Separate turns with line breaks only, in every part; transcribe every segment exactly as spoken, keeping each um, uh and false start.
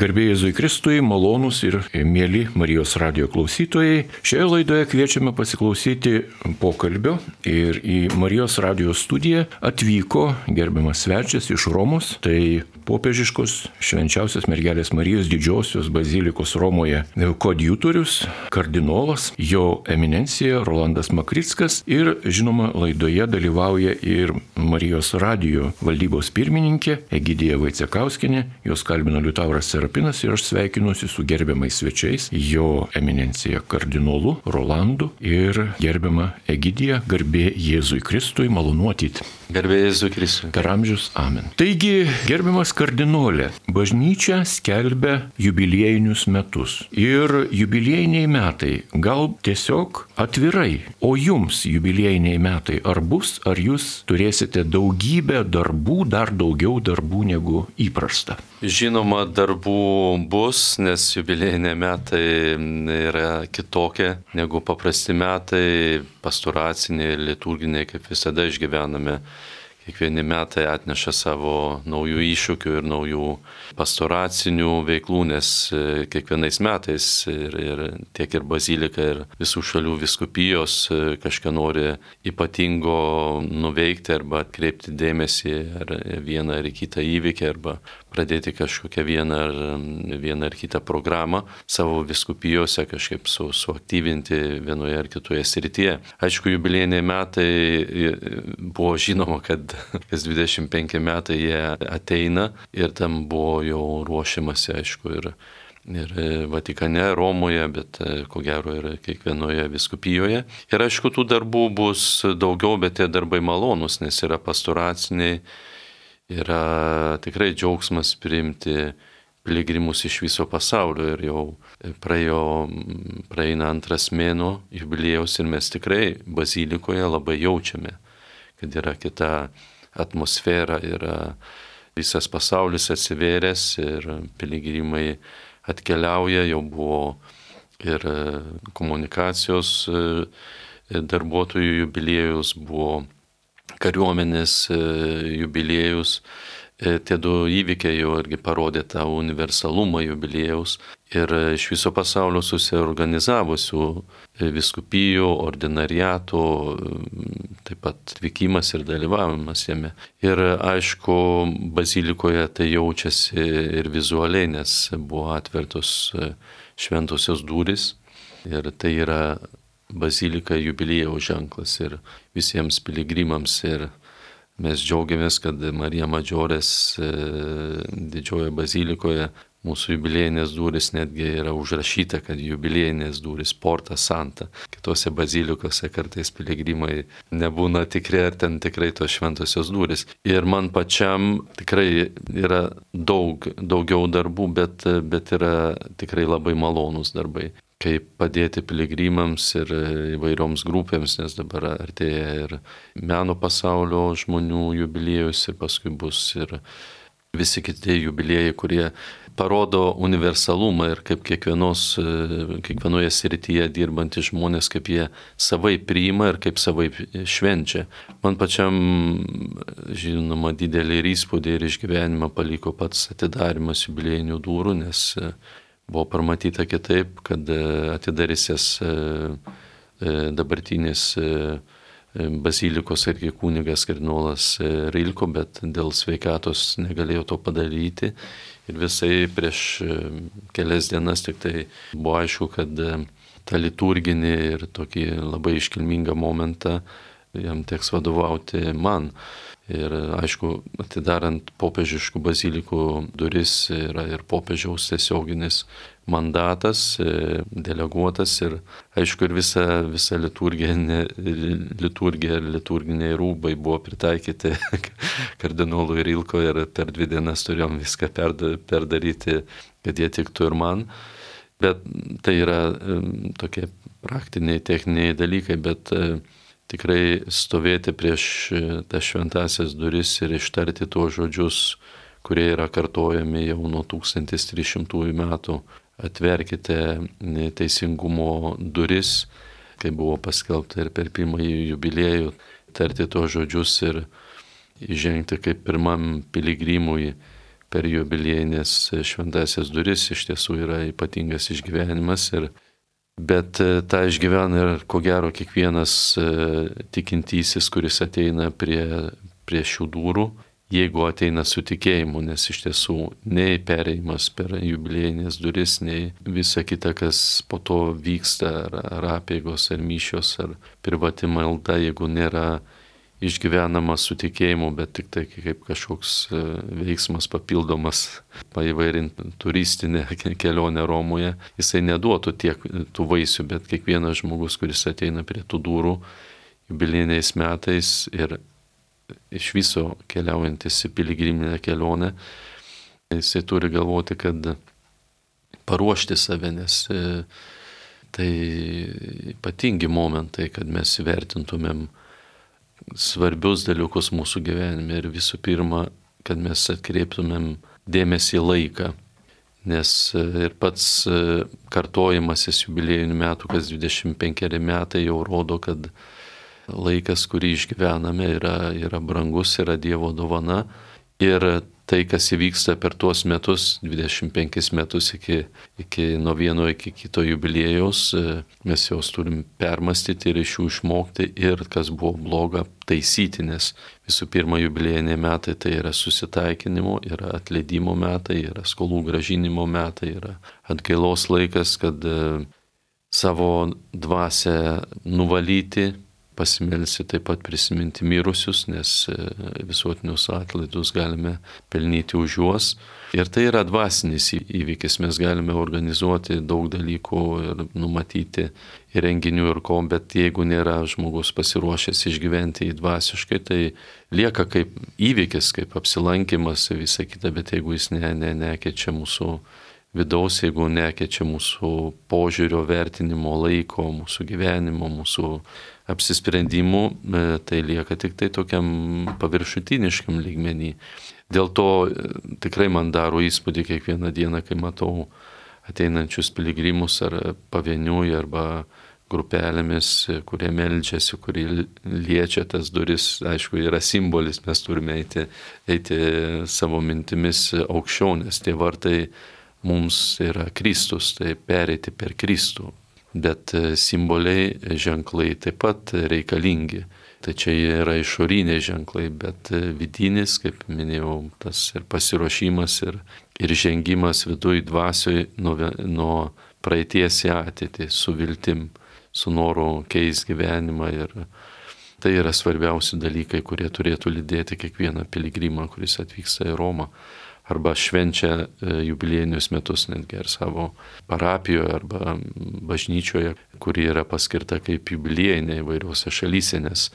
Garbė Jėzui Kristui, malonūs ir mieli Marijos radijo klausytojai. Šioje laidoje kviečiame pasiklausyti pokalbio ir į Marijos radijo studiją atvyko gerbiamas svečias iš Romos, tai popiežiškos švenčiausios mergelės Marijos didžiosios bazilikos Romoje koadjutorius, kardinolas, jo eminencija Rolandas Makrickas ir žinoma laidoje dalyvauja ir Marijos radijo valdybos pirmininkė Egidija Vaicekauskienė, jos kalbino Liutauras Serapinas ir aš sveikinuosi su gerbiamais svečiais, jo eminencija kardinolu Rolandu ir gerbiama Egidija, garbė Jėzui Kristui, malonu matyti.
Garbė Jėzui Kristui.
Per amžius, amen. Taigi, gerbiamas kardinolė, bažnyčia skelbia jubiliejinius metus. Ir jubiliejiniai metai gal tiesiog atvirai, o jums jubiliejiniai metai ar bus, ar jūs turėsite daugybę darbų, dar daugiau darbų negu įprasta?
Žinoma, darbų bus, nes jubiliejiniai metai yra kitokie negu paprasti metai, pastoraciniai, liturginiai, kaip visada išgyvename. Kiekvieni metai atneša savo naujų iššūkių ir naujų pastoracinių veiklų, nes kiekvienais metais ir, ir tiek ir bazilika, ir visų šalių vyskupijos kažką nori ypatingo nuveikti arba atkreipti dėmesį ar vieną ar kitą įvykį arba pradėti kažkokią vieną ar, vieną ar kitą programą savo vyskupijose, kažkaip su, suaktyvinti vienoje ar kitoje srityje. Aišku, jubiliejiniai metai buvo žinoma, kad kas dvidešimt penki metai jie ateina ir tam buvo jau ruošiamasi, aišku, ir, ir Vatikane, Romoje, bet ko gero ir kiekvienoje vyskupijoje. Ir aišku, tų darbų bus daugiau, bet tie darbai malonūs, nes yra pastoraciniai, yra tikrai džiaugsmas priimti piligrimus iš viso pasaulio ir jau praėjo, praeina antras mėnuo jubiliejaus ir mes tikrai bazilikoje labai jaučiame, kad yra kita atmosfera, yra visas pasaulis atsivėręs ir piligrimai atkeliauja, jau buvo ir komunikacijos darbuotojų jubiliejus, buvo kariuomenės jubiliejus. Tie du įvykiai jau irgi parodė tą universalumą jubiliejaus ir iš viso pasaulio susiorganizavusių vyskupijų, ordinariatų, taip pat atvykimas ir dalyvavimas jame. Ir aišku, bazilikoje tai jaučiasi ir vizualiai, nes buvo atvertos šventosios durys ir tai yra bazilika jubiliejaus ženklas ir visiems piligrimams. Ir mes džiaugiamės, kad Marija Madžiorės didžiojoje bazilikoje mūsų jubiliejinės durys netgi yra užrašyta, kad jubiliejinės durys Porta Santa. Kitose bazilikose kartais piligrimai nebūna tikri, ar ten tikrai tos šventosios durys. Ir man pačiam tikrai yra daug, daugiau darbų, bet, bet yra tikrai labai malonūs darbai. Kaip padėti piligrimams ir įvairioms grupėms, nes dabar artėja ir meno pasaulio žmonių jubiliejus ir paskui bus ir visi kiti jubiliejai, kurie parodo universalumą ir kaip kiekvienos, kiekvienoje srityje dirbantys žmonės, kaip jie savai priima ir kaip savai švenčia. Man pačiam, žinoma, didelį įspūdį ir išgyvenimą paliko pats atidarimas jubiliejinių durų, nes buvo parmatyta kitaip, kad atidarysės dabartinis bazilikos irgi kunigas kardinolas Rilko, bet dėl sveikatos negalėjo to padaryti. Ir visai prieš kelias dienas tik tai buvo aišku, kad tą liturginį ir tokį labai iškilmingą momentą jam teks vadovauti man. Ir aišku, atidarant popiežiškų bazilikų duris yra ir popiežiaus tiesioginis mandatas, deleguotas ir aišku ir visa, visa liturgija, liturgija ir liturginiai rūbai buvo pritaikyti kardinolui Rilko ir per dvi dienas turėjom viską perdaryti, kad jie tiktų ir man. Bet tai yra tokie praktiniai, techniniai dalykai, bet tikrai stovėti prieš tas šventasias duris ir ištarti tuos žodžius, kurie yra kartojami jau nuo tūkstantis trys šimtųjų metų. Atverkite teisingumo duris, kaip buvo paskelbta ir per pirmąjį jubiliejų, tarti tuos žodžius ir įžengti kaip pirmam piligrimui per jubiliejinės šventasias duris iš tiesų yra ypatingas išgyvenimas. Ir, bet tą išgyvena ir ko gero kiekvienas tikintysis, kuris ateina prie, prie šių durų, jeigu ateina su tikėjimu, nes iš tiesų nei pereimas per jubiliejinės duris, nei visa kita, kas po to vyksta, ar, ar apėgos, ar mišios, ar privati malda, jeigu nėra išgyvenama su tikėjimu, bet tik tai kaip kažkoks veiksmas papildomas, paįvairint turistinę kelionę Romoje, jisai neduotų tiek tų vaisių, bet kiekvienas žmogus, kuris ateina prie tų durų jubiliejiniais metais ir iš viso keliaujantis į piligriminę kelionę, jisai turi galvoti, kad paruošti save, nes tai ypatingi momentai, kad mes vertintumėm svarbius dalykus mūsų gyvenime ir visų pirma, kad mes atkreiptumėm dėmesį į laiką, nes ir pats kartojimasis jubiliejinių metų, kas dvidešimt penkeri metai jau rodo, kad laikas, kurį išgyvename, yra, yra brangus, yra Dievo dovana ir tai, kas įvyksta per tuos metus, dvidešimt penkis metus iki, iki nuo vieno iki kito jubiliejaus, mes juos turim permastyti ir iš jų išmokti ir kas buvo bloga taisyti, nes visų pirma jubiliejiniai metai tai yra susitaikinimo, yra atleidimo metai, yra skolų gražinimo metai, yra atgailos laikas, kad savo dvasią nuvalyti, pasimelsti taip pat prisiminti mirusius, nes visuotinius atlaidus galime pelnyti už juos. Ir tai yra dvasinis įvykis, mes galime organizuoti daug dalykų ir numatyti ir renginių ir ko, bet jeigu nėra žmogus pasiruošęs išgyventi į dvasiškai, tai lieka kaip įvykis, kaip apsilankimas ir visa kita, bet jeigu jis ne, ne, nekeičia mūsų vidaus, jeigu nekeičia mūsų požiūrio, vertinimo, laiko, mūsų gyvenimo, mūsų apsisprendimų, tai lieka tik tai tokiam paviršutiniškam lygmenį. Dėl to tikrai man daro įspūdį kiekvieną dieną, kai matau ateinančius piligrimus ar pavieniui arba grupelėmis, kurie meldžiasi, kurie liečia tas duris. Aišku, yra simbolis, mes turime eiti, eiti savo mintimis aukščiau, nes tie vartai mums yra Kristus, tai pereiti per Kristų. Bet simboliai, ženklai taip pat reikalingi. Tai čia yra išoriniai ženklai, bet vidinis, kaip minėjau, tas ir pasiruošimas, ir, ir žengimas viduj dvasioj nuo, nuo praeities į ateitį, su viltim, su noru keisti gyvenimą. Ir tai yra svarbiausi dalykai, kurie turėtų lydėti kiekvieną piligrimą, kuris atvyksta į Romą. Arba švenčia jubiliejinius metus netgi ar savo parapijoje arba bažnyčioje, kuri yra paskirta kaip jubiliejinė įvairiuose šalyse, nes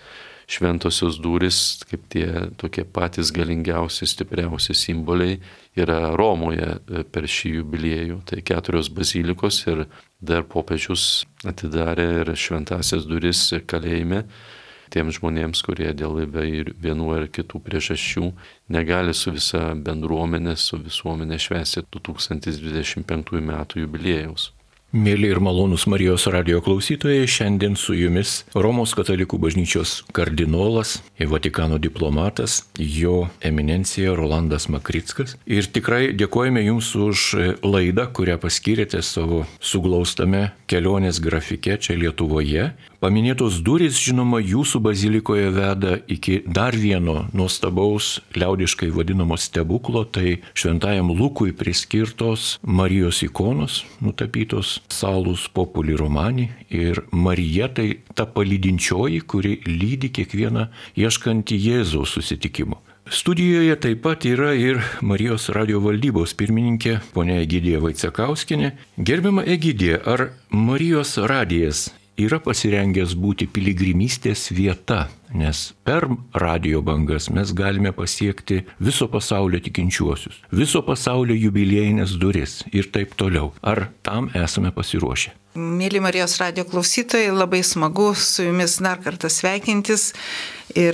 šventosios durys, kaip tie tokie patys galingiausi, stipriausi simboliai, yra Romoje per šį jubiliejų. Tai keturios bazilikos ir dar popiežius atidarė ir šventasias duris kalėjime tiems žmonėms, kurie dėl vienų ar kitų priežasčių negali su visa bendruomenė, su visuomenė švęsti du tūkstančiai dvidešimt penktųjų metų jubiliejaus.
Mėly ir malonūs Marijos radijo klausytojai, šiandien su jumis Romos katalikų bažnyčios kardinolas, Vatikano diplomatas, jo eminencija Rolandas Makrickas. Ir tikrai dėkojame jums už laidą, kurią paskyrėte savo suglaustame kelionės grafike čia Lietuvoje. Paminėtos durys, žinoma, jūsų bazilikoje veda iki dar vieno nuostabaus liaudiškai vadinamo stebuklo, tai šventajam Lukui priskirtos Marijos ikonos, nutapytos Salus Populi Romani, ir Marija tai ta palydinčioji, kuri lydi kiekvieną ieškantį Jėzaus susitikimo. Studijoje taip pat yra ir Marijos radijo valdybos pirmininkė ponia Egidija Vaicekauskienė. Gerbiama Egidija, ar Marijos radijas yra pasirengęs būti piligrimystės vieta, nes per radijo bangas mes galime pasiekti viso pasaulio tikinčiuosius, viso pasaulio jubiliejinės duris ir taip toliau. Ar tam esame pasiruošę?
Mėly Marijos radijo klausytojai, labai smagu su jumis dar kartą sveikintis ir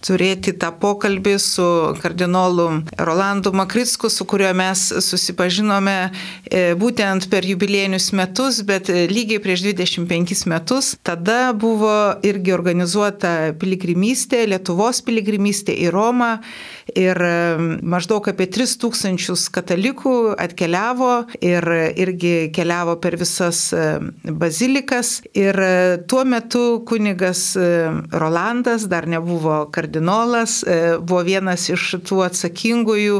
turėti tą pokalbį su kardinolu Rolandu Makricku, su kuriuo mes susipažinome būtent per jubiliejinius metus, bet lygiai prieš dvidešimt penkis metus. Tada buvo irgi organizuota piligrimystė, Lietuvos piligrimystė į Romą ir maždaug apie tris tūkstančius katalikų atkeliavo ir irgi keliavo per visas bazilikas. Ir tuo metu kunigas Rolandas dar nebuvo kardinolas, buvo vienas iš tų atsakingųjų,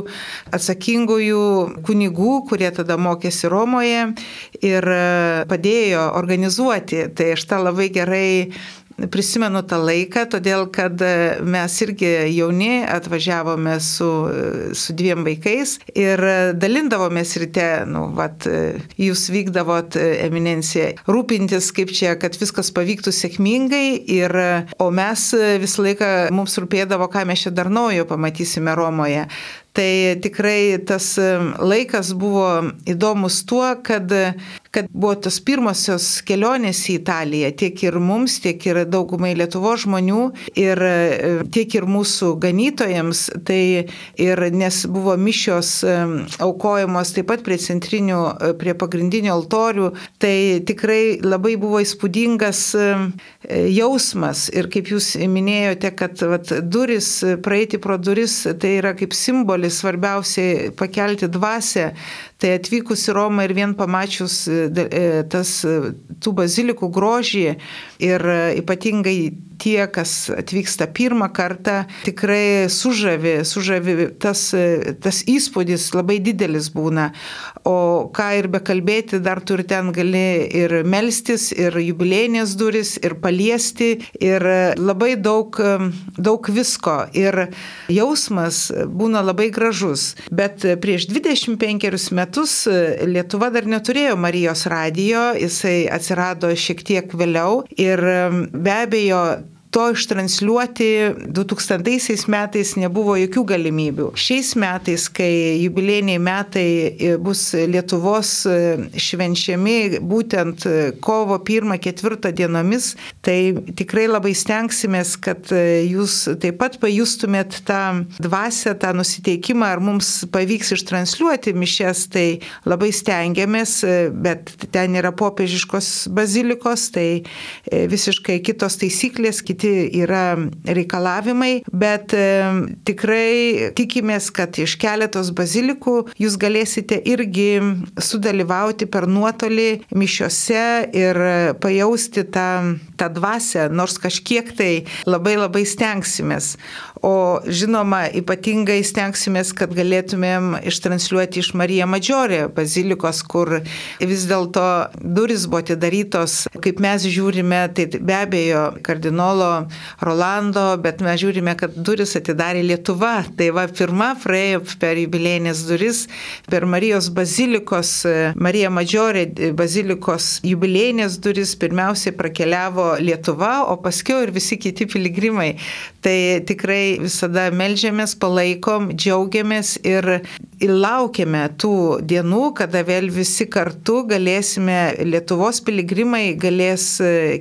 atsakingųjų kunigų, kurie tada mokėsi Romoje ir padėjo organizuoti. Tai aš tą labai gerai prisimenu tą laiką, todėl kad mes irgi jauni atvažiavome su, su dviem vaikais ir dalindavomės ryte, nu, vat, jūs vykdavot, eminencija, rūpintis, kaip čia, kad viskas pavyktų sėkmingai, ir, o mes visą laiką, mums rūpėdavo, ką mes čia dar naujo pamatysime Romoje. Tai tikrai tas laikas buvo įdomus tuo, kad, kad buvo tos pirmosios kelionės į Italiją, tiek ir mums, tiek ir daugumai Lietuvos žmonių, ir tiek ir mūsų ganytojams, tai ir nes buvo mišios aukojamos taip pat prie centrinių, prie pagrindinių altorių, tai tikrai labai buvo įspūdingas jausmas. Ir kaip jūs minėjote, kad vat, duris, praeiti pro duris, tai yra kaip simbolis, svarbiausiai pakelti dvasią. Tai atvykus į Romą ir vien pamačius tas, tų bazilikų grožį ir ypatingai tie, kas atvyksta pirmą kartą, tikrai sužavi, sužavi tas, tas įspūdis labai didelis būna. O ką ir bekalbėti, dar tu ir ten gali ir melstis, ir jubilėjinės duris, ir paliesti, ir labai daug, daug visko. Ir jausmas būna labai gražus. Bet prieš dvidešimt penkerius metus Lietuva dar neturėjo Marijos radijo, jisai atsirado šiek tiek vėliau ir be abejo to ištransliuoti du tūkstantaisiais metais nebuvo jokių galimybių. Šiais metais, kai jubiliejiniai metai bus Lietuvos švenčiami būtent kovo pirmą ketvirtą dienomis, tai tikrai labai stengsimės, kad jūs taip pat pajustumėt tą dvasią, tą nusiteikimą, ar mums pavyks ištransliuoti mišias, tai labai stengiamės, bet ten yra popiežiškos bazilikos, tai visiškai kitos taisyklės, kiti yra reikalavimai, bet e, tikrai tikimės, kad iš keletos bazilikų jūs galėsite irgi sudalyvauti per nuotolį mišiose ir pajausti tą, tą dvasią, nors kažkiek tai labai labai stengsimės. O žinoma, ypatingai stengsimės, kad galėtumėm ištransliuoti iš Marija Maggiore bazilikos, kur vis dėlto durys buvo atidarytos, kaip mes žiūrime, tai be abejo kardinolo Rolando, bet mes žiūrime, kad duris atidarė Lietuva. Tai va, pirma praėjo per jubiliejinės duris, per Marijos bazilikos, Marija Maggiore bazilikos jubiliejinės duris pirmiausiai prakeliavo Lietuva, o paskiau ir visi kiti piligrimai. Tai tikrai visada meldžiamės, palaikom, džiaugiamės ir laukiame tų dienų, kada vėl visi kartu galėsime, Lietuvos piligrimai galės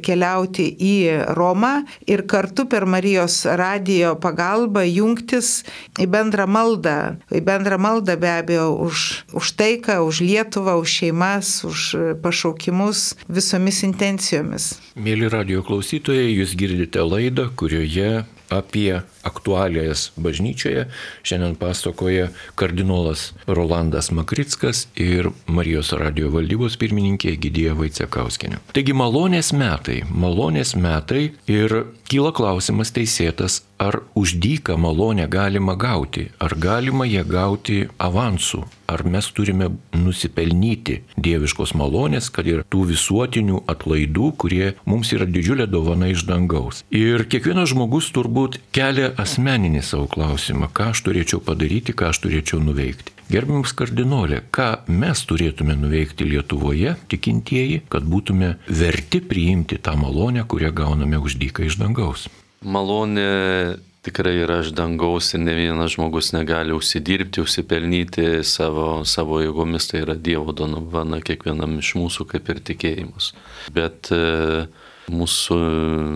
keliauti į Romą ir kartu per Marijos radijo pagalbą jungtis į bendrą maldą. Į bendrą maldą be abejo už, už taiką, už Lietuvą, už šeimas, už pašaukimus visomis intencijomis.
Mėly radijo klausytojai, jūs girdite laidą, kurioje apie aktualijas bažnyčioje šiandien pasakoja kardinolas Rolandas Makrickas ir Marijos radijo valdybos pirmininkė Egidija Vaicekauskienė. Taigi malonės metai, malonės metai ir kyla klausimas teisėtas, ar už dyką malonę galima gauti, ar galima ją gauti avansų, ar mes turime nusipelnyti dieviškos malonės, kad ir tų visuotinių atlaidų, kurie mums yra didžiulė dovana iš dangaus. Ir kiekvienas žmogus turbūt kelia asmeninį savo klausimą, ką aš turėčiau padaryti, ką aš turėčiau nuveikti. Gerbiamas kardinolė, ką mes turėtume nuveikti Lietuvoje, tikintieji, kad būtume verti priimti tą malonę, kurią gauname už dyką iš dangaus?
Malonė tikrai yra iš dangaus ir ne vienas žmogus negali užsidirbti, užsipelnyti savo, savo jėgomis, tai yra Dievo dovana kiekvienam iš mūsų kaip ir tikėjimas. Bet e, mūsų,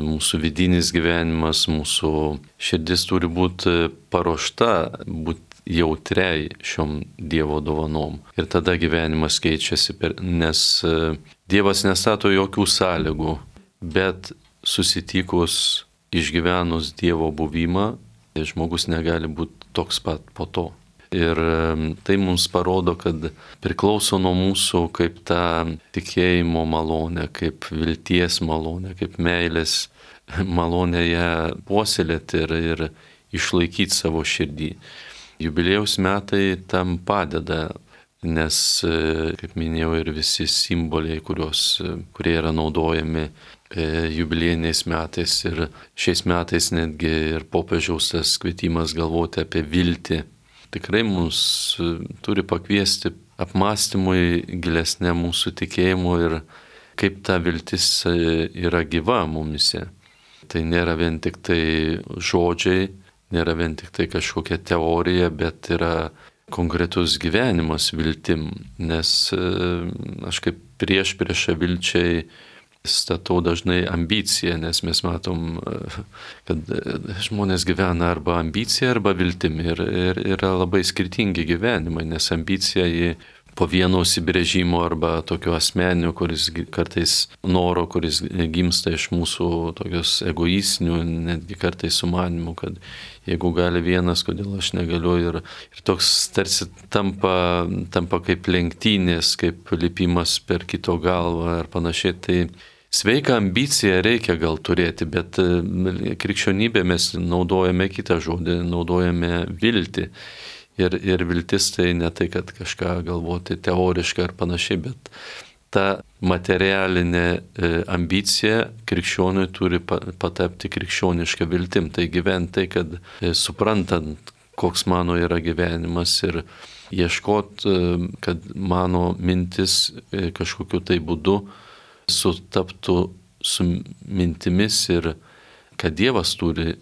mūsų vidinis gyvenimas, mūsų širdis turi būti paruošta, būti jautriai šiom Dievo dovanom. Ir tada gyvenimas keičiasi, per, nes Dievas nestato jokių sąlygų, bet susitikus išgyvenus Dievo buvimą, žmogus negali būti toks pat po to. Ir tai mums parodo, kad priklauso nuo mūsų, kaip ta tikėjimo malonė, kaip vilties malonė, kaip meilės malonė ją puoselėti ir, ir išlaikyti savo širdį. Jubiliejaus metai tam padeda, nes, kaip minėjau, ir visi simboliai, kurios, kurie yra naudojami jubiliejiniais metais ir šiais metais netgi ir popiežiaus tas kvietimas galvoti apie viltį, tikrai mus turi pakviesti apmąstymui gilesnė mūsų tikėjimo ir kaip ta viltis yra gyva mumise. Tai nėra vien tik tai žodžiai, nėra vien tik tai kažkokia teorija, bet yra konkretus gyvenimas viltim, nes aš kaip prieš priešą vilčiai statau dažnai ambiciją, nes mes matom, kad žmonės gyvena arba ambiciją, arba viltimi ir, ir yra labai skirtingi gyvenimai, nes ambicija į po vieno užsibrėžimo arba tokio asmeninio, kuris kartais noro, kuris gimsta iš mūsų tokios egoistinių, netgi kartais sumanimų, kad jeigu gali vienas, kodėl aš negaliu ir, ir toks tarsi tampa, tampa kaip lenktynės, kaip lipimas per kito galvą ar panašiai. Tai sveiką ambiciją reikia gal turėti, bet krikščionybė mes naudojame kitą žodį, naudojame viltį. Ir, ir viltis tai ne tai, kad kažką galvoti teoriškai ar panašiai, bet ta materialinė ambicija krikščioniui turi patapti krikščionišką viltim. Tai gyventi tai, kad suprantant, koks mano yra gyvenimas ir ieškot, kad mano mintis kažkokiu tai būdu sutaptų su mintimis ir kad Dievas turi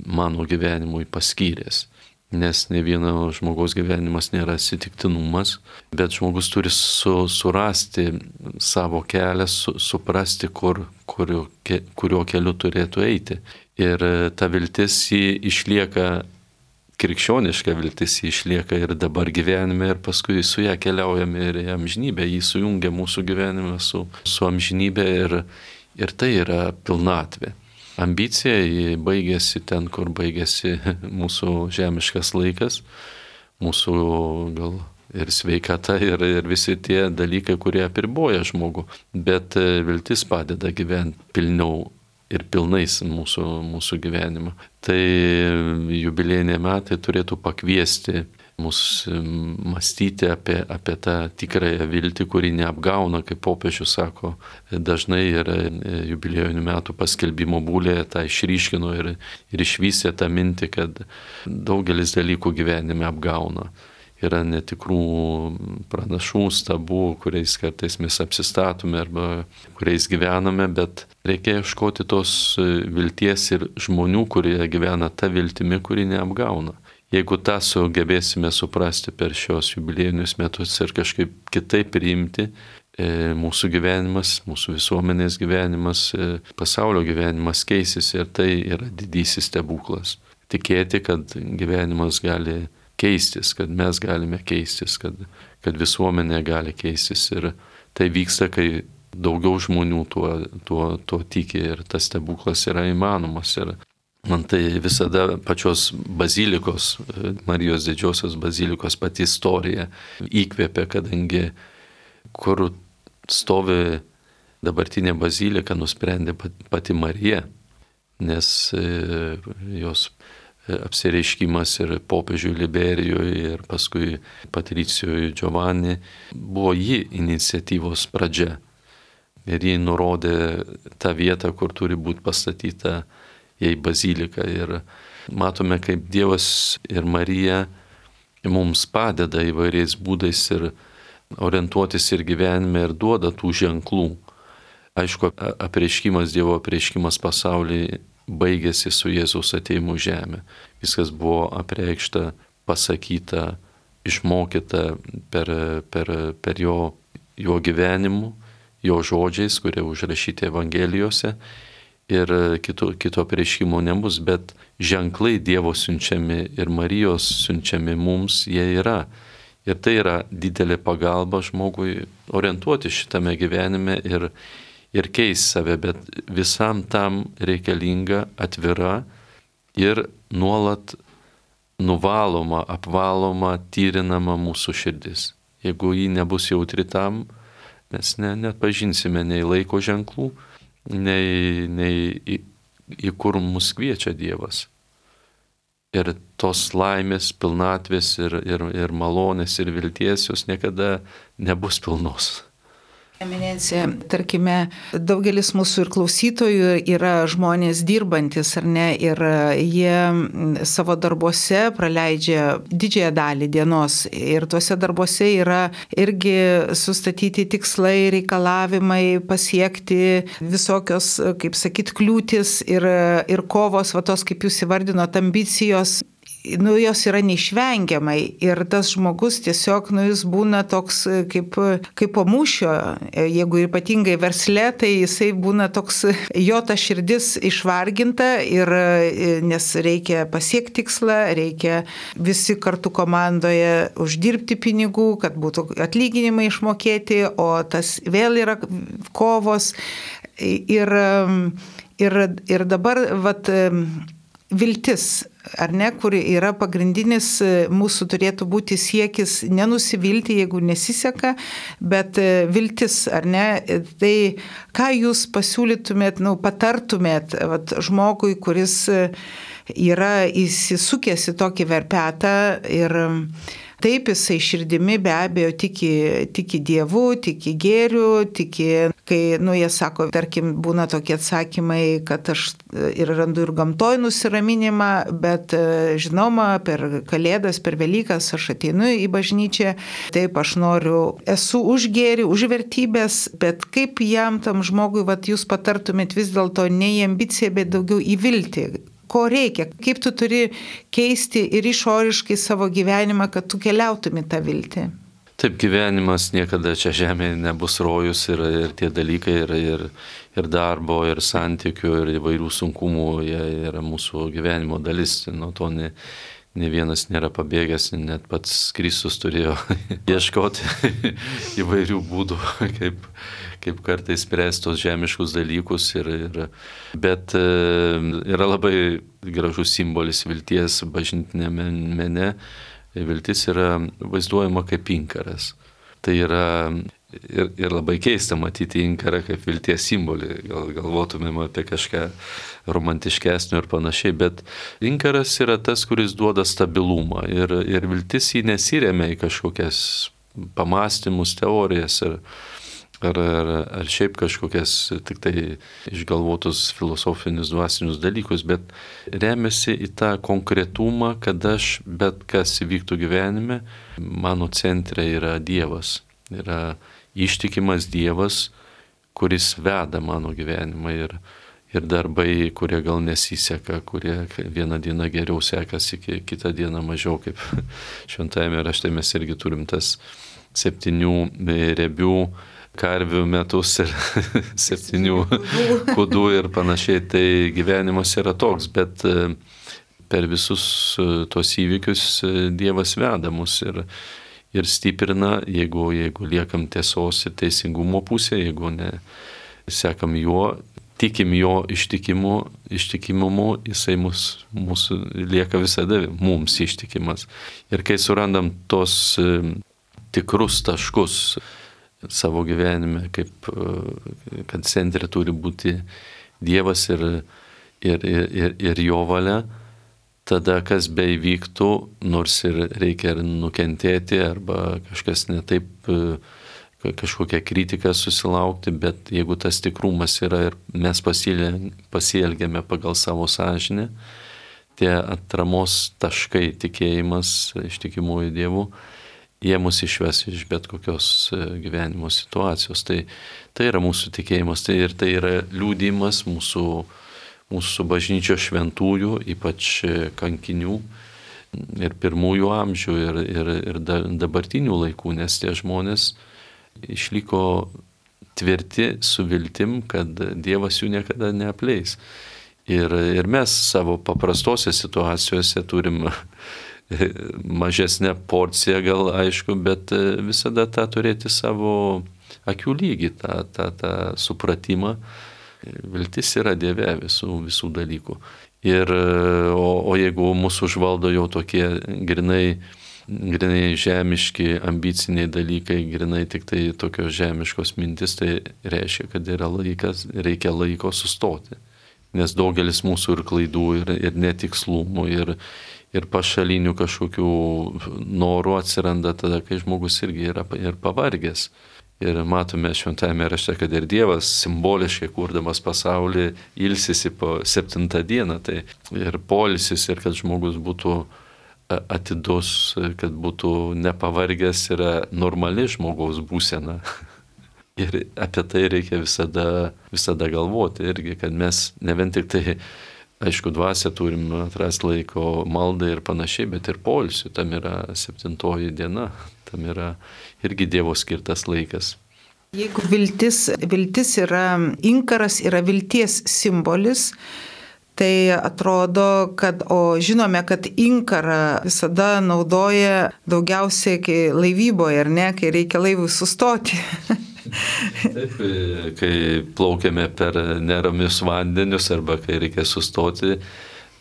mano gyvenimui paskyręs. Nes ne vieno žmogaus gyvenimas nėra atsitiktinumas, bet žmogus turi su, surasti savo kelią, su, suprasti, kur, kurio, kurio keliu turėtų eiti. Ir ta viltis jį išlieka, krikščioniška viltis jį išlieka ir dabar gyvenime, ir paskui su ją keliaujame ir į amžinybę, jį sujungia mūsų gyvenime su, su amžinybė ir, ir tai yra pilnatvė. Ambicija jį baigėsi ten, kur baigėsi mūsų žemiškas laikas, mūsų gal ir sveikata, ir, ir visi tie dalykai, kurie apriboja žmogų. Bet viltis padeda gyventi pilniau ir pilnais mūsų, mūsų gyvenimą. Tai jubiliejiniai metai turėtų pakviesti mus mąstyti apie, apie tą tikrąją viltį, kuri neapgauna, kaip popiežius sako. Dažnai yra jubiliejinių metų paskelbimo būlėje tą išryškino ir, ir išvystė tą mintį, kad daugelis dalykų gyvenime apgauna. Yra netikrų pranašų, stabų, kuriais kartais mes apsistatome arba kuriais gyvename, bet reikia ieškoti tos vilties ir žmonių, kurie gyvena tą viltimi, kuri neapgauna. Jeigu tą sugebėsime suprasti per šios jubiliejinius metus ir kažkaip kitaip priimti, mūsų gyvenimas, mūsų visuomenės gyvenimas, pasaulio gyvenimas keisis ir tai yra didysis stebuklas. Tikėti, kad gyvenimas gali keistis, kad mes galime keistis, kad, kad visuomenė gali keistis ir tai vyksta, kai daugiau žmonių tuo, tuo, tuo tiki ir tas stebuklas yra įmanomas. Ir man tai visada pačios bazilikos, Marijos didžiosios bazilikos pati istorija įkvėpė, kadangi kur stovi dabartinė bazilika, nusprendė pati Marija, nes jos apsireiškimas ir popiežiui Liberijui ir paskui Patricijui Giovanni buvo ji iniciatyvos pradžia. Ir ji nurodė tą vietą, kur turi būti pastatyta jai bazilika. Ir matome, kaip Dievas ir Marija mums padeda įvairiais būdais ir orientuotis ir gyvenime ir duoda tų ženklų. Aišku, apreiškimas, Dievo apreiškimas pasaulyje baigėsi su Jėzaus atėjimu žemę. Viskas buvo apreikšta, pasakyta, išmokyta per, per, per jo, jo gyvenimu, jo žodžiais, kurie užrašyti Evangelijose. Ir kito, kito apreiškimo nebus, bet ženklai Dievo siunčiami ir Marijos siunčiami mums, jie yra. Ir tai yra didelė pagalba žmogui orientuoti šitame gyvenime ir, ir keis save, bet visam tam reikalinga atvira ir nuolat nuvaloma, apvaloma, tyrinama mūsų širdis. Jeigu ji nebus jautri tam, mes ne, net pažinsime nei laiko ženklų, nei, nei į, į kur mus kviečia Dievas. Ir tos laimės, pilnatvės ir, ir, ir malonės ir vilties jos niekada nebus pilnos.
Eminencija, tarkime, daugelis mūsų ir klausytojų yra žmonės dirbantis, ar ne, ir jie savo darbuose praleidžia didžiąją dalį dienos ir tuose darbuose yra irgi sustatyti tikslai, reikalavimai, pasiekti visokios, kaip sakyt, kliūtis ir, ir kovos, va tos, kaip jūs įvardinot, ambicijos. Nu, jos yra neišvengiamai ir tas žmogus tiesiog, nu, jis būna toks kaip, kaip po mūšio, jeigu ypatingai versle, tai jisai būna toks, jo ta širdis išvarginta ir nes reikia pasiekti tikslą, reikia visi kartu komandoje uždirbti pinigų, kad būtų atlyginimai išmokėti, o tas vėl yra kovos ir, ir, ir dabar, vat, viltis, ar ne, kur yra pagrindinis mūsų turėtų būti siekis nenusivilti, jeigu nesiseka, bet viltis, ar ne, tai ką jūs pasiūlytumėt, nu, patartumėt vat, žmogui, kuris yra įsisukęs į tokį verpetą ir taip jisai širdimi be abejo tiki, tiki Dievu, tiki gėriu, tiki, kai, nu, jie sako, tarkim, būna tokie atsakymai, kad aš ir randu ir gamtoj nusiraminimą, bet žinoma, per Kalėdas, per Velykas aš ateinu į bažnyčią, taip aš noriu, esu už gėrį, už vertybės, bet kaip jam tam žmogui, vat, jūs patartumėt vis dėlto ne į ambiciją, bet daugiau į viltį? Ko reikia, kaip tu turi keisti ir išoriškai savo gyvenimą, kad tu keliautum į tą viltį.
Taip, gyvenimas niekada čia žemėje nebus rojus ir, ir tie dalykai ir, ir, ir darbo, ir santykių, ir įvairių sunkumų, jie yra mūsų gyvenimo dalis, nuo to ne, ne vienas nėra pabėgęs, net pats Kristus turėjo ieškoti įvairių būdų, kaip, kaip kartais spręsti tos žemiškus dalykus, ir, ir, bet yra labai gražus simbolis vilties bažnytinėme mene. Viltis yra vaizduojama kaip inkaras. Tai yra ir, ir labai keista matyti inkarą kaip vilties simbolį. Gal galvotumėm apie kažką romantiškesnio ir panašiai, bet inkaras yra tas, kuris duoda stabilumą. Ir, ir viltis jį nesiremia į kažkokias pamastymus, teorijas ar, ar, ar, ar šiaip kažkokias tik tai išgalvotus filosofinius, dvasinius dalykus, bet remiasi į tą konkretumą, kad aš bet kas įvyktų gyvenime, mano centre yra Dievas, yra ištikimas Dievas, kuris veda mano gyvenimą ir, ir darbai, kurie gal nesiseka, kurie vieną dieną geriau sekasi, kitą dieną mažiau, kaip šventajame rašte mes irgi turim tas septynių riebių karvių metus ir septynių kudų ir panašiai, tai gyvenimas yra toks, bet per visus tos įvykius Dievas veda mus ir, ir stiprina, jeigu, jeigu liekam tiesos ir teisingumo pusė, jeigu ne sekam juo, tikim jo ištikimu, ištikimumu, jisai mus, mūsų lieka visada mums ištikimas. Ir kai surandam tos tikrus taškus savo gyvenime, kaip, kad centre turi būti Dievas ir, ir, ir, ir jo valia, tada kas beįvyktų, nors ir reikia ir nukentėti, arba kažkas netaip, kažkokią kritiką susilaukti, bet jeigu tas tikrumas yra ir mes pasielgiame pagal savo sąžinę, tie atramos taškai, tikėjimas, ištikimųjų Dievų, jie mus išves iš bet kokios gyvenimo situacijos. Tai, tai yra mūsų tikėjimas, tai ir tai yra liudijimas mūsų, mūsų bažnyčios šventųjų, ypač kankinių ir pirmųjų amžių ir, ir, ir dabartinių laikų, nes tie žmonės išliko tvirti su viltim, kad Dievas jų niekada neapleis. Ir, ir mes savo paprastose situacijose turim mažesnę porciją gal, aišku, bet visada tą turėti savo akių lygį tą, tą, tą supratimą. Viltis yra Dieve visų, visų dalykų. Ir, o, o jeigu mūsų užvaldo jau tokie grinai, grinai žemiški, ambiciniai dalykai, grinai tik tai tokios žemiškos mintis, tai reiškia, kad yra laikas, reikia laiko sustoti. Nes daugelis mūsų ir klaidų, ir, ir netikslumų, ir, ir pašalinių kažkokių norų atsiranda tada, kai žmogus irgi yra ir pavargęs. Ir matome šventajame rašte, kad ir Dievas simboliškai kurdamas pasaulį ilsisi po septintą dieną. Tai ir poilsis, ir kad žmogus būtų atidus, kad būtų nepavargęs, yra normali žmogaus būsena. Ir apie tai reikia visada, visada galvoti irgi, kad mes ne vien tik tai, aišku, dvasią turim atrasti laiko maldai ir panašiai, bet ir poilsiui. Tam yra septintoji diena, tam yra irgi Dievo skirtas laikas.
Jeigu viltis, viltis yra inkaras, yra vilties simbolis, tai atrodo, kad, o žinome, kad inkarą visada naudoja daugiausiai laivyboje, ar ne, kai reikia laivui sustoti.
Taip, kai plaukiame per neramius vandenius arba kai reikia sustoti,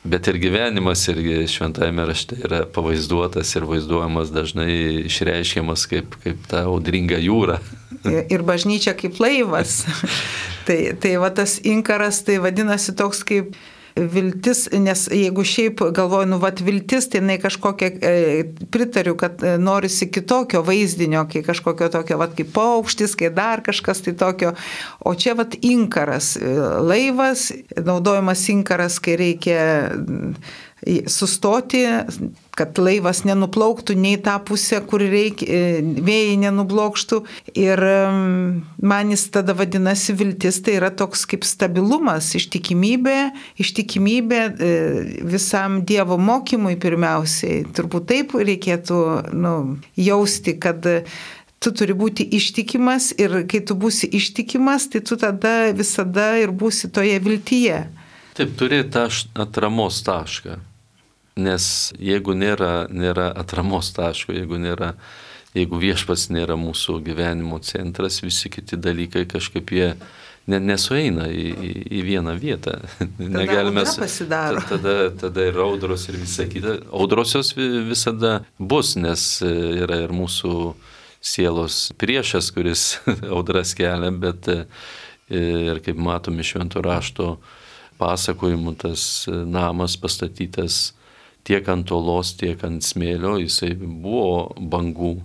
bet ir gyvenimas irgi šventajame rašte yra pavaizduotas ir vaizduojamas dažnai išreiškiamas kaip, kaip ta audringa jūra.
Ir bažnyčia kaip laivas. tai, tai va tas inkaras tai vadinasi toks kaip viltis, nes jeigu šiaip galvoju, nu vat viltis, tai jinai kažkokia, e, pritariu, kad norisi kitokio vaizdinio, kai kažkokio tokio, vat kaip paukštis, kai dar kažkas tai tokio, o čia vat inkaras, laivas, naudojamas inkaras, kai reikia sustoti, kad laivas nenuplauktų nei tą pusę, kur reikia, vėjai nenublokštų. Ir man jis tada vadinasi viltis, tai yra toks kaip stabilumas, ištikimybė, ištikimybė visam Dievo mokymui pirmiausiai. Turbūt taip reikėtų nu, jausti, kad tu turi būti ištikimas ir kai tu būsi ištikimas, tai tu tada visada ir būsi toje viltyje.
Taip, turi tą atramos tašką. Nes jeigu nėra, nėra atramos taško, jeigu, nėra, jeigu viešpats nėra mūsų gyvenimo centras, visi kiti dalykai kažkaip jie ne, nesueina į, į, į vieną vietą.
Tada
Negalime,
audra pasidaro.
Tada, tada ir audros ir visa kita. Audrosios visada bus, nes yra ir mūsų sielos priešas, kuris audras kelia, bet ir kaip matome švento rašto pasakojimų, tas namas pastatytas tiek ant olos, tiek ant smėlio, jisai buvo bangų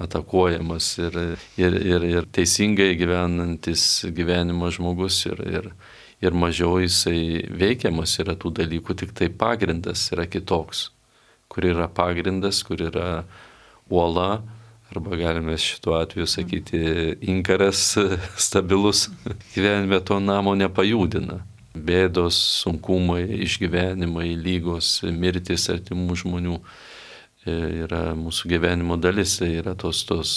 atakuojamas ir, ir, ir, ir teisingai gyvenantis gyvenimo žmogus ir, ir, ir mažiau jisai veikiamas yra tų dalykų, tik tai pagrindas yra kitoks, kur yra pagrindas, kur yra uola, arba galime šituo atveju sakyti inkaras stabilus, gyvenime to namo nepajudina. Bėdos, sunkumai, išgyvenimai, lygos, mirtis artimų žmonių yra mūsų gyvenimo dalis, yra tos, tos,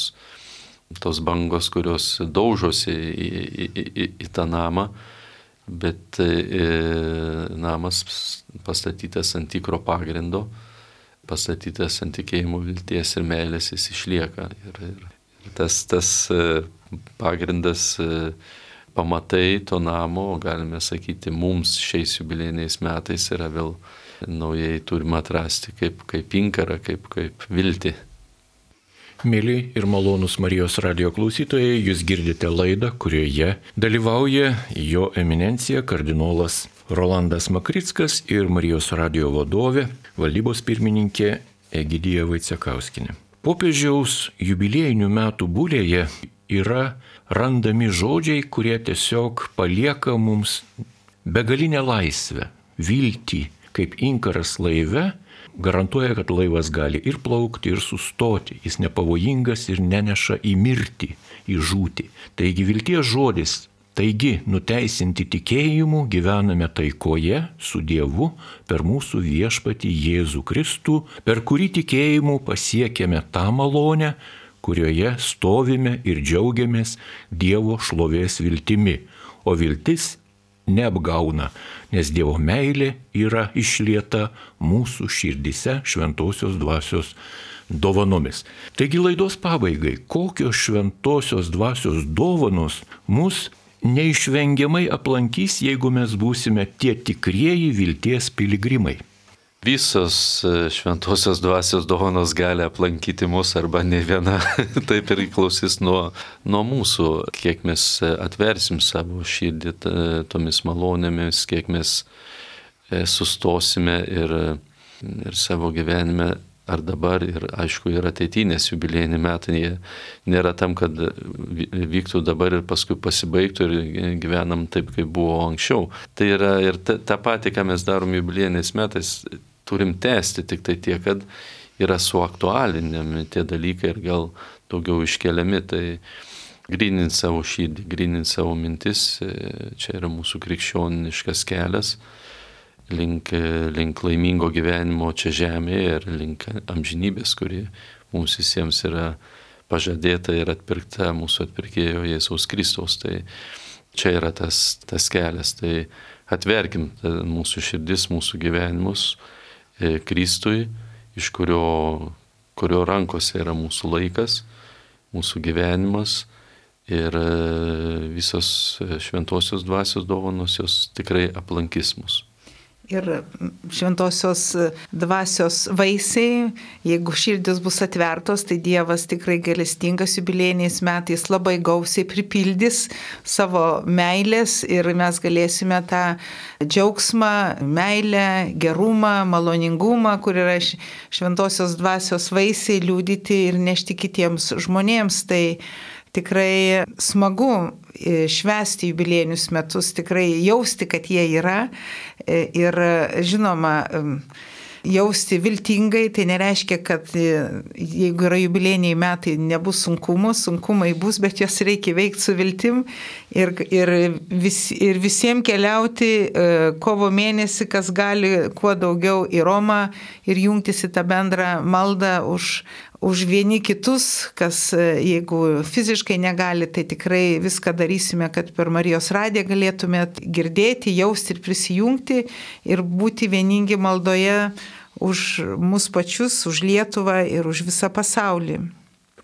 tos bangos, kurios daužosi į, į, į, į tą namą, bet e, namas pastatytas ant tikro pagrindo, pastatytas ant tikėjimo, vilties ir meilės, jis išlieka. Ir, ir, ir tas, tas pagrindas pamatai to namo, galime sakyti, mums šiais jubiliejiniais metais yra vėl naujai turime atrasti kaip, kaip inkarą, kaip, kaip viltį.
Mėly ir malonūs Marijos radijo klausytojai, jūs girdite laidą, kurioje dalyvauja jo eminencija kardinolas Rolandas Makrickas ir Marijos radijo vadovė, valdybos pirmininkė Egidija Vaicekauskienė. Popiežiaus jubiliejinių metų bulėje yra randami žodžiai, kurie tiesiog palieka mums begalinę laisvę, viltį, kaip inkaras laive, garantuoja, kad laivas gali ir plaukti, ir sustoti, jis nepavojingas ir neneša į mirtį, į žūtį. Taigi vilties žodis, taigi nuteisinti tikėjimu gyvename taikoje su Dievu per mūsų viešpatį Jėzų Kristų, per kurį tikėjimu pasiekėme tą malonę, kurioje stovime ir džiaugiamės Dievo šlovės viltimi, o viltis neapgauna, nes Dievo meilė yra išlieta mūsų širdise šventosios dvasios dovanomis. Taigi laidos pabaigai, kokios šventosios dvasios dovanos mus neišvengiamai aplankys, jeigu mes būsime tie tikrieji vilties piligrimai.
Visos šventosios dvasios dovanos gali aplankyti mus arba ne viena. Tai priklausys nuo, nuo mūsų, kiek mes atversim savo širdį tomis malonėmis, kiek mes sustosime ir, ir savo gyvenime ar dabar ir aišku ir ateitinės jubiliejiniai metai, jie nėra tam, kad vyktų dabar ir paskui pasibaigtų ir gyvenam taip, kaip buvo anksčiau. Tai yra ir ta, ta pati, ką mes darom jubiliejiniais metais, turim tęsti, tik tai tiek, kad yra suaktualinami tie dalykai ir gal daugiau iškeliami. Tai gryninti savo širdį, gryninti savo mintis, čia yra mūsų krikščioniškas kelias link, link laimingo gyvenimo čia žemėje ir link amžinybės, kuri mums visiems yra pažadėta ir atpirkta mūsų atpirkėjo Jėzaus Kristaus. Tai čia yra tas, tas kelias. Tai atverkim mūsų širdis, mūsų gyvenimus Kristui, iš kurio, kurio rankose yra mūsų laikas, mūsų gyvenimas ir visos šventosios dvasios dovanos jos tikrai aplankys mus.
Ir šventosios dvasios vaisiai, jeigu širdis bus atvertos, tai Dievas tikrai gailestingas jubiliejiniais metais labai gausiai pripildys savo meilės ir mes galėsime tą džiaugsmą, meilę, gerumą, maloningumą, kur yra šventosios dvasios vaisiai, liudyti ir nešti kitiems žmonėms. Tai tikrai smagu švęsti jubiliejinius metus, tikrai jausti, kad jie yra ir žinoma, jausti viltingai, tai nereiškia, kad jeigu yra jubiliejiniai metai, nebus sunkumų, sunkumai bus, bet juos reikia veikti su viltim ir, ir, vis, ir visiems keliauti kovo mėnesį, kas gali kuo daugiau į Romą ir jungtis į tą bendrą maldą už už vieni kitus, kas jeigu fiziškai negali, tai tikrai viską darysime, kad per Marijos radiją galėtumėt girdėti, jausti ir prisijungti ir būti vieningi maldoje už mus pačius, už Lietuvą ir už visą pasaulį.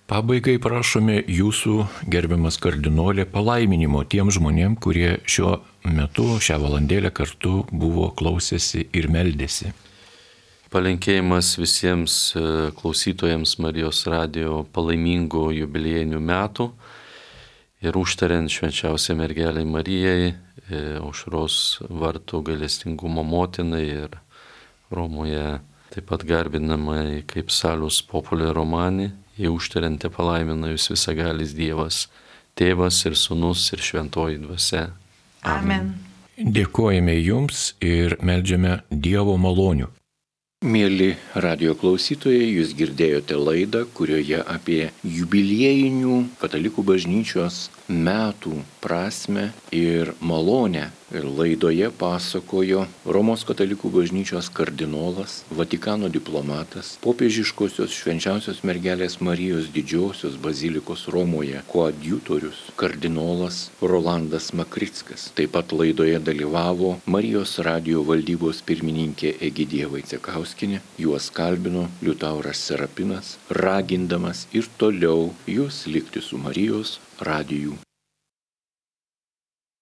Pabaigai prašome jūsų, gerbiamas kardinolė, palaiminimo tiem žmonėm, kurie šiuo metu, šią valandėlę kartu buvo klausėsi ir meldėsi.
Palinkėjimas visiems klausytojams Marijos radijo palaimingų jubiliejinių metų ir užtariant švenčiausiai mergelei Marijai, Aušros vartų gailestingumo motinai ir Romoje taip pat garbinamai kaip Salus Populi Romani, jie užtariant palaimina jūs visagalis Dievas, Tėvas ir Sūnus ir Šventoji Dvasia.
Amen.
Dėkojame jums ir meldžiame Dievo malonių. Mėly radio klausytojai, jūs girdėjote laidą, kurioje apie jubiliejinių katalikų bažnyčios metų prasmę ir malonę. Ir laidoje pasakojo Romos katalikų bažnyčios kardinolas, Vatikano diplomatas, popiežiškosios švenčiausios mergelės Marijos didžiosios bazilikos Romoje koadjutorius, kardinolas Rolandas Makrickas. Taip pat laidoje dalyvavo Marijos radijo valdybos pirmininkė Egidija Vaicekauskienė, juos kalbino Liutauras Serapinas, ragindamas ir toliau jūs likti su Marijos radiju.